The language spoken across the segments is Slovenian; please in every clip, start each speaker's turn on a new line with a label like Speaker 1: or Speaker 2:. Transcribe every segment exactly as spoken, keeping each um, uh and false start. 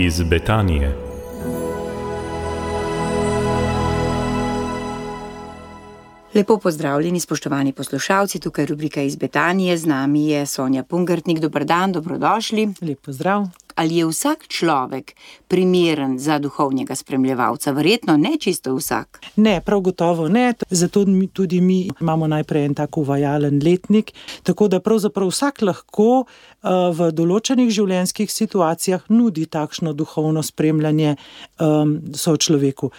Speaker 1: iz Betanije.
Speaker 2: Lepo pozdravljeni, spoštovani poslušalci, tukaj rubrika iz Betanije, z nami je Sonja Pungartnik. Dober dan, dobrodošli.
Speaker 3: Lep pozdrav.
Speaker 2: Ali je vsak človek primeren za duhovnega spremljevalca? Verjetno ne čisto vsak.
Speaker 3: Ne, prav gotovo ne, zato tudi mi imamo najprej en tak uvajalen letnik, tako da pravzaprav vsak lahko v določenih življenjskih situacijah nudi takšno duhovno spremljanje um, sočloveku.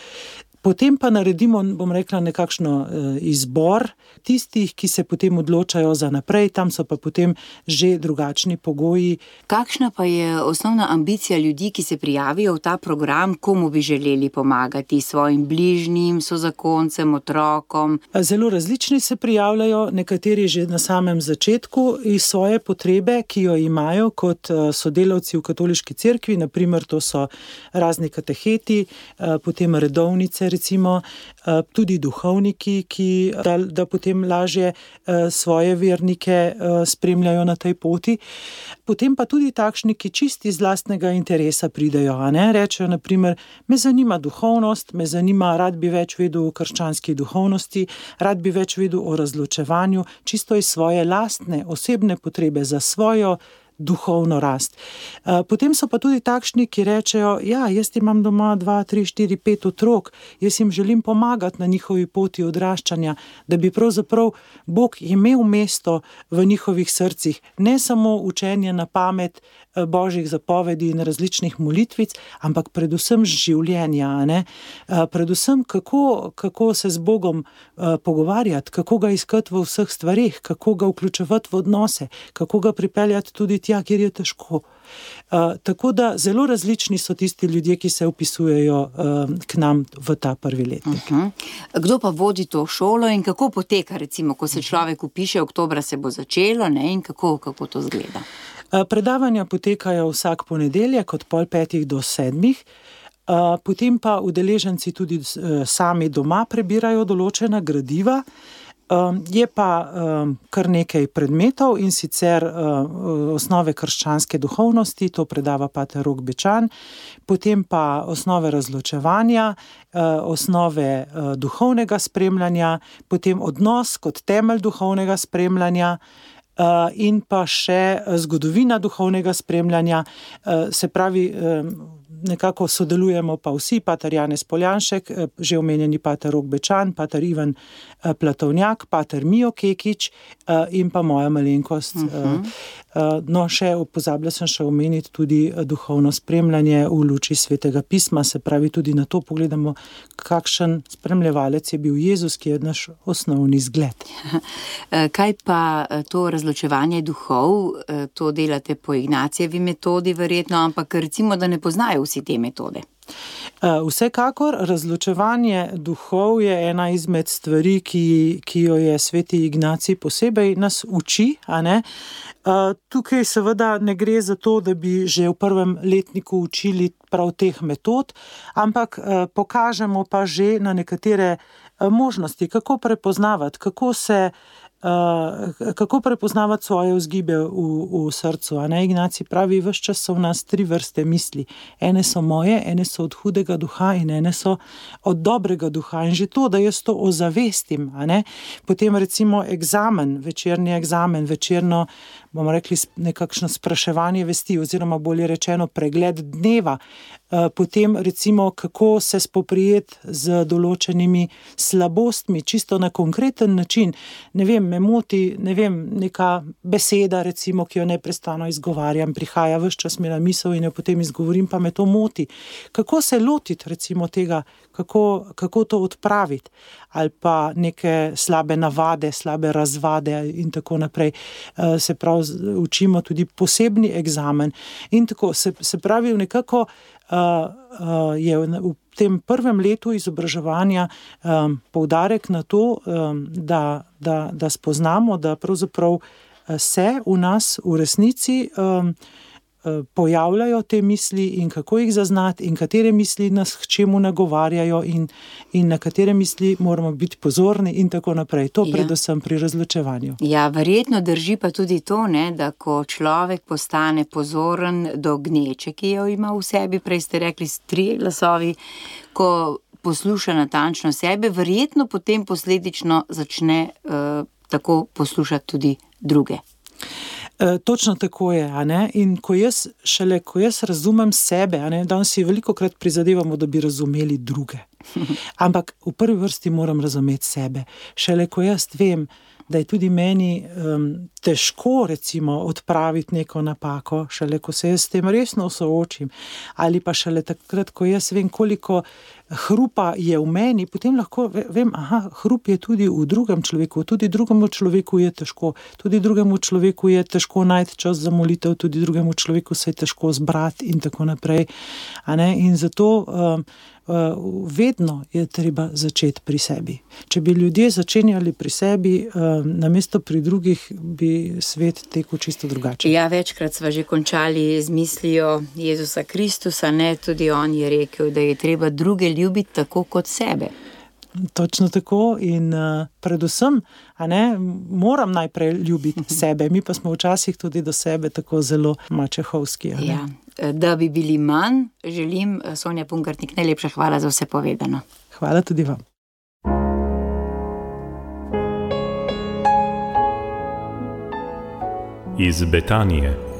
Speaker 3: Potem pa naredimo, bom rekla, nekakšno izbor tistih, ki se potem odločajo za naprej, tam so pa potem že drugačni pogoji.
Speaker 2: Kakšna pa je osnovna ambicija ljudi, ki se prijavijo v ta program, komu bi želeli pomagati, svojim bližnjim, sozakoncem, otrokom?
Speaker 3: Zelo različni se prijavljajo, nekateri že na samem začetku iz svoje potrebe, ki jo imajo kot sodelavci v katoliški cerkvi, naprimer to so razni kateheti, potem redovnice, recimo tudi duhovniki, ki da, da potem lažje svoje vernike spremljajo na tej poti. Potem pa tudi takšni, ki čisti iz lastnega interesa pridejo, a ne? Rečejo, naprimer, me zanima duhovnost, me zanima, rad bi več vedel o krščanski duhovnosti, rad bi več vedel o razločevanju, čisto iz svoje lastne, osebne potrebe za svojo duhovno rast. Potem so pa tudi takšni, ki rečejo, ja, jaz imam doma dva, tri, štiri, pet otrok, jaz jim želim pomagati na njihovi poti odraščanja, da bi pravzaprav Bog imel mesto v njihovih srcih, ne samo učenje na pamet božjih zapovedi in različnih molitvic, ampak predvsem življenja, ne? Predvsem kako, kako se z Bogom pogovarjati, kako ga iskati v vseh stvarih, kako ga vključevati v odnose, kako ga pripeljati tudi tja, kjer je težko. Uh, tako da zelo različni so tisti ljudje, ki se vpisujejo uh, k nam v ta prvi letnik.
Speaker 2: Uh-huh. Kdo pa vodi to šolo in kako poteka, recimo, ko se človek vpiše, oktobra se bo začelo, ne, in kako, kako to zgleda?
Speaker 3: Uh, predavanja potekajo vsak ponedeljek od pol petih do sedmih, uh, potem pa udeleženci tudi uh, sami doma prebirajo določena gradiva. Um, je pa um, kar nekaj predmetov in sicer uh, osnove krščanske duhovnosti, to predava pater Rok Bečan, potem pa osnove razločevanja, uh, osnove uh, duhovnega spremljanja, potem odnos kot temelj duhovnega spremljanja, uh, in pa še zgodovina duhovnega spremljanja, uh, se pravi, um, nekako sodelujemo pa vsi, pater Janez Poljanšek, že omenjeni pater Rok Bečan, pater Ivan Platovnjak, pater Mijo Kekič in pa moja malenkost. Uh-huh. No, še pozabila sem še omeniti tudi duhovno spremljanje v luči Svetega pisma, se pravi tudi na to pogledamo, kakšen spremljevalec je bil Jezus, ki je naš osnovni zgled.
Speaker 2: Kaj pa to razločevanje duhov, to delate po Ignacijevi metodi verjetno, ampak recimo, da ne poznajo vsi te metode?
Speaker 3: Vsekakor, razločevanje duhov je ena izmed stvari, ki, ki jo je sveti Ignacij posebej nas uči, a ne? Tukaj seveda ne gre za to, da bi že v prvem letniku učili prav teh metod, ampak pokažemo pa že na nekatere možnosti, kako prepoznavati, kako se Uh, kako prepoznavati svoje vzgibe v, v srcu. A ne? Ignacij pravi, ves čas so v nas tri vrste misli. Ene so moje, ene so od hudega duha in ene so od dobrega duha. In že to, da jaz to ozavestim, a ne? Potem recimo egzamen, večerni egzamen, večerno, bomo rekli, nekakšno spraševanje vesti, oziroma bolje rečeno pregled dneva. Uh, potem recimo, kako se spoprijeti z določenimi slabostmi, čisto na konkreten način. Ne vem, me moti, ne vem, neka beseda, recimo, ki jo neprestano izgovarjam, prihaja ves čas mi na misel in jo potem izgovorim, pa me to moti. Kako se lotiti, recimo, tega, kako, kako to odpraviti? Ali pa neke slabe navade, slabe razvade in tako naprej. Se pravi, učimo tudi posebni egzamen. In tako, se, se pravi, nekako uh, uh, je v tem prvem letu izobraževanja um, poudarek na to, um, da, da, da spoznamo, da pravzaprav se v nas v resnici um, pojavljajo te misli in kako jih zaznati in katere misli nas k čemu nagovarjajo in, in na katere misli moramo biti pozorni in tako naprej. To
Speaker 2: Ja.
Speaker 3: predvsem pri razločevanju.
Speaker 2: Ja, verjetno drži pa tudi to, ne, da ko človek postane pozoren do gneče, ki jo ima v sebi, prej ste rekli trije glasovi, ko posluša natančno sebe, verjetno potem posledično začne uh, tako poslušati tudi druge.
Speaker 3: E, točno tako je, a ne? In ko jaz, šele ko jaz razumem sebe, a ne, danes si velikokrat prizadevamo, da bi razumeli druge. Ampak v prvi vrsti moram razumeti sebe. Šele ko jaz vem, da je tudi meni um, težko recimo odpraviti neko napako, šele ko se jaz s tem resno soočim, ali pa šele takrat, ko jaz vem, koliko hrupa je v meni, potem lahko vem, aha, hrup je tudi v drugem človeku, tudi drugemu človeku je težko, tudi drugemu človeku je težko najti čas za molitev, tudi drugemu človeku se je težko zbrati in tako naprej. A ne? In zato um, Uh, vedno je treba začeti pri sebi. Če bi ljudje začenjali pri sebi, uh, namesto pri drugih, bi svet tekel čisto drugače.
Speaker 2: Ja, večkrat sva že končali z mislijo Jezusa Kristusa, ne, tudi on je rekel, da je treba druge ljubiti tako kot sebe.
Speaker 3: Točno tako in uh, predvsem, a ne, moram najprej ljubiti sebe, mi pa smo včasih tudi do sebe tako zelo mačehovski. A ne?
Speaker 2: Ja. Da bi bili manj, želim, Sonja Pungartnik, najlepša hvala za vse povedano.
Speaker 3: Hvala tudi vam.
Speaker 1: Iz Betanije.